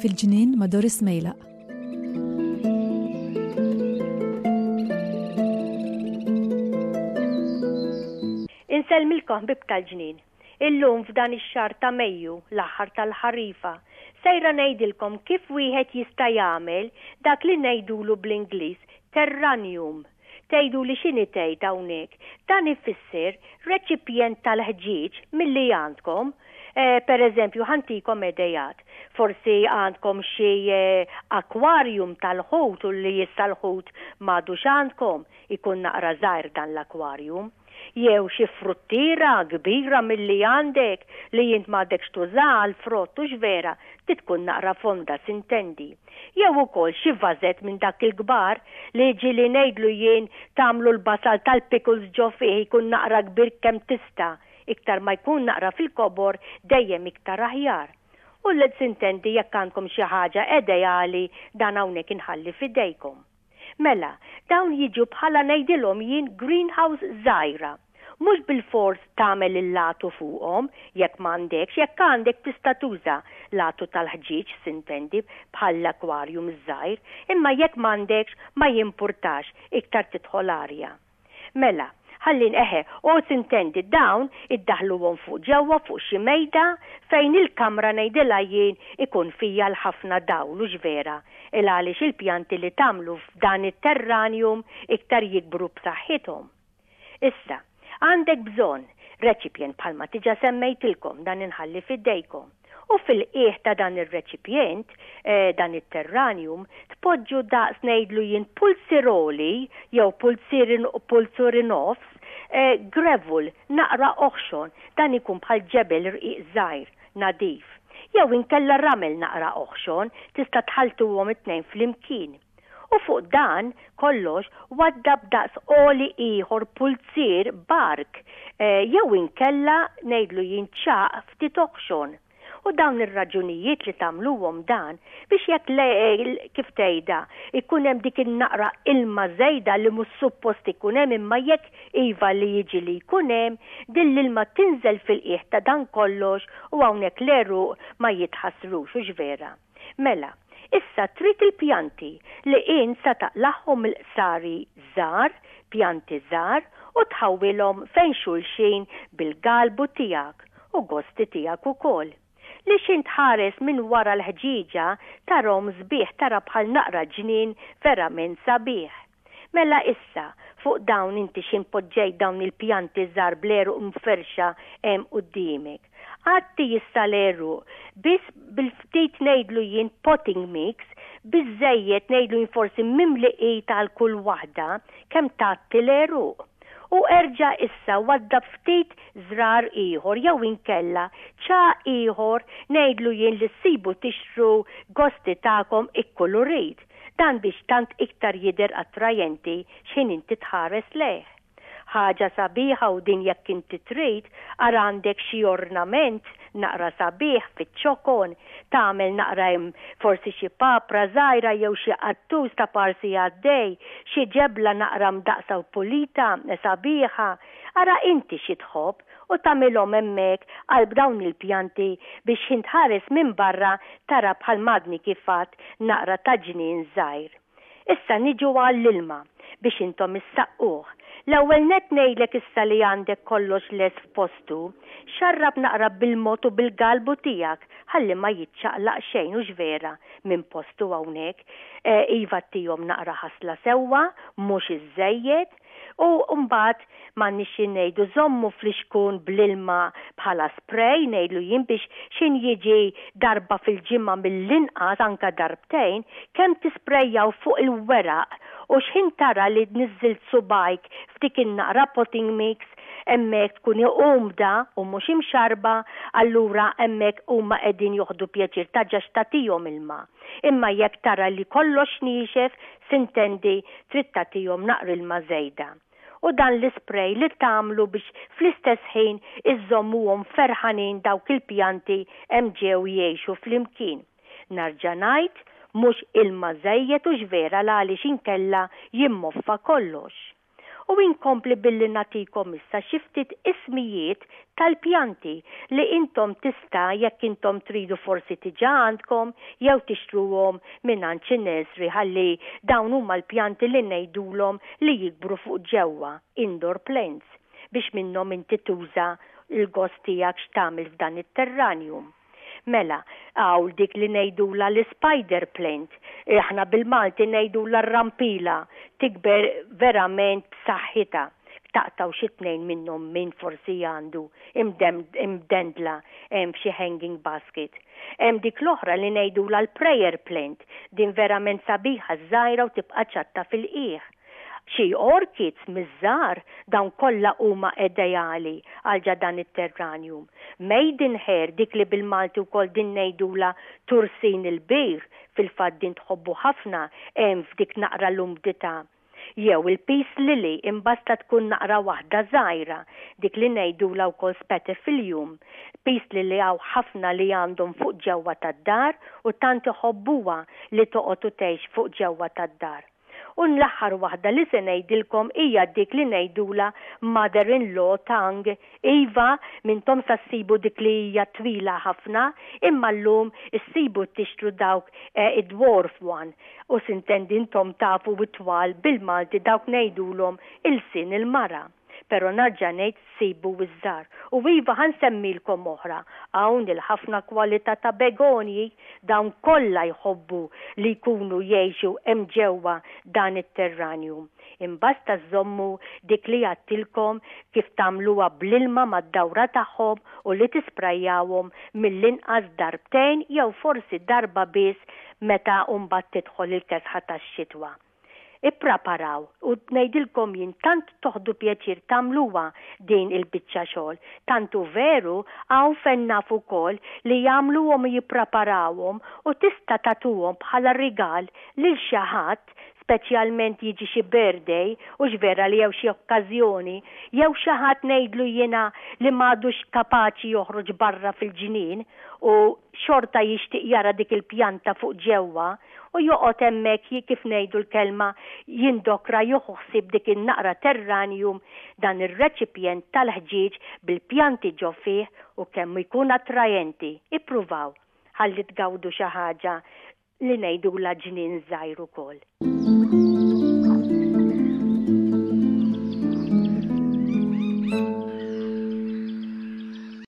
Fil-ġnien ma' Doris Mejlaq. Insellmilkom ħbieb tal-ġnien. Illum f'dan ix-xahar ta' Mejju, l-aħħar tal-ħarifa, sejra ngħidilkom kif wieħed jista' jagħmel dak li ngħidulu bl-Ingliż terranium. Tgħiduli x'inhi tgħid hawnhekk? Dan ifisser reċipjent tal-ħġieġ milli għandkom. Per eżempju, ħa ntikom idejat. Forsi għandkom xi aquarium tal-ħut u li issa l-ħut m'għadux għandkom, ikun naqra żgħir dan l-aquarium. Jew xi fruttiera kbira milli għandek li int m'għadekx tużaha għall-frott hux vera, trid tkun naqra fonda sintendi. Jew ukoll xi vażett minn dak il-kbar li ġieli ngħidlu jien tagħmlu l-basal tal-pickles ġo fih ikun naqra kbir kemm tista', iktar ma jkun naqra fil-kobor dejjem iktar aħjar. U sintendi jekk għandkom xi ħaġa edeali dan hawnhekk inħalli f'idejkom. Mela, dawn jiġu bħala ngħidilhom jien greenhouse żgħira. Mhux bilfors tagħmel il-latu fuqhom jekk m'għandekx, jekk għandek tista' tuża latu tal-ħġieġ sintendi bħall-aquarium iż-żgħir, imma jekk m'għandekx ma jimpurtax, iktar tidħol arja. Mela, ħalli eħe, u sintendi dawn iddaħħluhom fuq ġewwa fuq xi mejda fejn il-kamra ngħidilha jien ikun fija l-ħafna dawl hux vera il għaliex il-pjanti li tagħmlu f'dan it-terranium iktar jikbru b'saħħithom. Issa, għandek bżonn reċipjent bħalma diġa semmejtilkom dan inħalli f'idejkom. U fil-qiegħ ta' dan ir-reċipjent, dan it-terranium, tpoġġu daqs ngħidlu jien pulziroli jew pulzuri nofs, gravel, naqra oħxon, dan ikun bħal ġebel rqiq żgħir, nadif. Jew inkella ramel naqra oħxon, tista' tħalltuhom it-tnejn flimkien. U fuq dan kollox waddab daqs għoli ieħor pulzier bark jew inkella ngħidlu jien ċagħaq ftit oħxon. U dawn ir-raġunijiet li tagħmluhom dan biex jekk le kif tgħidha jkun hemm dik in-naqra ilma żejda li mhux suppost ikun hemm imma jekk iva li jiġi li jkun hemm, din l-ilma tinżel fil-qiegħ ta' dan kollox u hawnhekk l-għeruq ma jitħassrux, hux vera? Mela, issa trid il-pjanti li int sa taqlagħhom mill-qsari żgħar, pjanti żgħar, u tħawwilhom fejn xulxin bil-galbu tiegħek u gosti tiegħek ukoll. Li x'int tħares minn wara l-ħġieġa tarhom sbieħ tara bħal naqra ġnien verament sabiħ. Mela issa, fuq dawn inti x'int poġġejt dawn il-pjanti żgħar bl-għeruq mferrxa hemm quddiemek. Għatti issa l-għeruq biss bil-ftit ngħidlu jien potting mix, biżżejjed ngħidlu jien forsi mimli id għal kull waħda, kemm tgħatti l-għeruq. U erġa' issa waddab ftit żrar ieħor jew inkella ċagħaq ieħor ngħidlu jien li ssibu tixtru gosti tagħkom ikkulurit. Dan biex tant iktar jidher attrajenti x'ħin inti tħares lejh. Ħaġa sabiħa u din jekk inti trid, ara għandek xi ornament naqra sabiħ fiċ-ċokon, tagħmel naqra hemm forsi xi papra żgħira jew xi qattus ta' parsi għaddej, xi ġebla naqra mdaqqsa u pulita, sabiħa. Ara inti xi tħobb u tagħmilhom hemmhekk qalb dawn il-pjanti biex x'ħin tħares minn barra tara bħal m'għadni kif għadt naqra ta' ġnien żgħir. Issa niġu għall-ilma biex intom issaqquh. L-ewwel nett ngħidlek issa li għandek kollox lest f'postu, xarrab naqra bil-mod u bil-galbu tiegħek ħalli ma jiċċaqlaq xejn hux vera minn postu hawnhekk. Iva ttihom naqra ħasla sewwa, mhux iżżejjed. U mbagħad m'għandniex xi ngħidu żommu flixkun bl-ilma bħala spray ngħidlu jien biex x'ħin jiġi darba fil-ġimgħa mill-inqas anke darbtejn kemm tisprejjaw fuq il-weraq u x'ħin tara li niżżilt subgħajk f'dik in-naqra potting mix hemmhekk tkun umda u mhux imxarrba allura hemmhekk huma qegħdin joħdu pjaċir taġax tagħtihom ilma. Imma jekk tara li kollox niexef Sintendi trid tagħtihom naqra ilma żejda. U dan l-ispray li tagħmlu biex fl-istess ħin iżżommuhom ferħanin dawk il-pjanti hemm ġew jgħixu flimkien. Narġa' ngħid, Mhux ilma żejjed hux vera l-għaliex inkella jimmoffa kollox. U inkompli billi nagħtikom issa xi ftit ismijiet tal-pjanti li intom tista' jekk intom tridu forsi diġà għandkom jew tixtruhom mingħand xi nursery ħalli dawn huma l-pjanti li ngħidulhom li jikbru fuq ġewwa, indoor plants, biex minnhom inti tuża l-gost tiegħek x'tagħmel f'dan it-terranium. Mela, hawn dik li ngħidulha l-ispider plant, aħna bil-Malti ngħidulha r-rampila, tikber verament b'saħħitha. Taqtgħu xi tnejn minnhom min forsi għandu imdendla hemm f'xi hanging basket. Hemm dik l-oħra li ngħidulha l-prayer plant, din verament sabiħa żgħira u tibqa' ċatta fil-qiegħ. Xi orchids miż-żgħar, dawn kollha huma ideali għal ġa dan it-terranium. Maidenhair, dik li bil-Malti wkoll din ngħidulha tursin il-bir, fil-fatt din tħobbu ħafna hemm f'dik naqra l-umdità. Jew il-peace lily imbasta tkun naqra waħda żgħira, dik li ngħidulha wkoll spathiphyllum. Peace lily hawn ħafna li għandhom fuq ġewwa tad-dar u tant iħobbuha li toqgħod u tgħix fuq ġewwa tad-dar. U l-aħħar waħda li se ngħidilkom hija dik li ngħidulha mother in law tongue. Iva, m'intom sa ssibu dik li hija twila ħafna, imma llum issibu tixtru dawk id-dwarf one. U sintendi intom tafu it-twal bil-Malti dawk ngħidulhom ilsien il-mara. Pero narġa' ngħid sibu ż-żgħar. U iva ħa nsemmilkom oħra, hawn il-ħafna kwalità ta' begonji, dawn kollha jħobbu li jkunu jgħixu hemm ġewwa dan it-terranium. Imbasta żżommu dik li għadtilkom kif tagħmluha bl-ilma mad-dawra tagħhom u li tisprajjawhom mill-inqas darbtejn jew forsi darba biss meta mbagħad tidħol il-kesħa tax-xitwa. Ippraparaw u ngħidilkom jien tant toħdu pjaċir tagħmluha din il-biċċa xogħol. Tant hu veru hawn fejn naf ukoll li jagħmluhom u jippraparawhom u tista' tagħtuhom bħala rigal lil xi ħadd speċjalment jiġi xi birthday hux vera li jew xi okkażjoni jew xi ħadd ngħidlu jiena li m'għadux kapaċi joħroġ barra fil-ġnien u xorta jixtieq jara dik il-pjanta fuq ġewwa u joqgħod hemmhekk kif ngħidu l-kelma jindokra jieħu ħsieb dik in-naqra terranium dan ir-reċipjent tal-ħġieġ bil-pjanti ġo fih u kemm jkun attrajenti. Ippruvaw ħalli tgawdu xi ħaġa li ngħidulha ġnien żgħir ukoll.